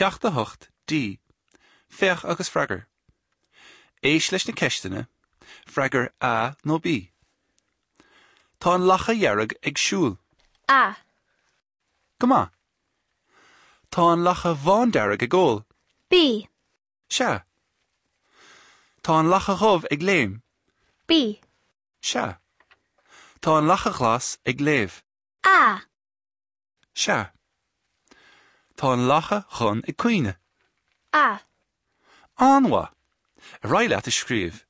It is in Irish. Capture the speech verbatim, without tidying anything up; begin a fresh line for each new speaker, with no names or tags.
Ceacht a hocht D. Féach agus freagair. Éist leis na ceisteanna, freagair A nó B. Tá an lacha dhearg ag siúl.
A.
Go maith. Tá an lacha bhándearg ag ól.
B.
Sea. Tá an lacha dhubh ag léim.
B.
Sea. Tá an lacha ghlas ag léamh.
A.
Sea. Tá an lacha dhonn ag caoineadh.
A.
An-mhaith. Ar aghaidh leat a scríobh.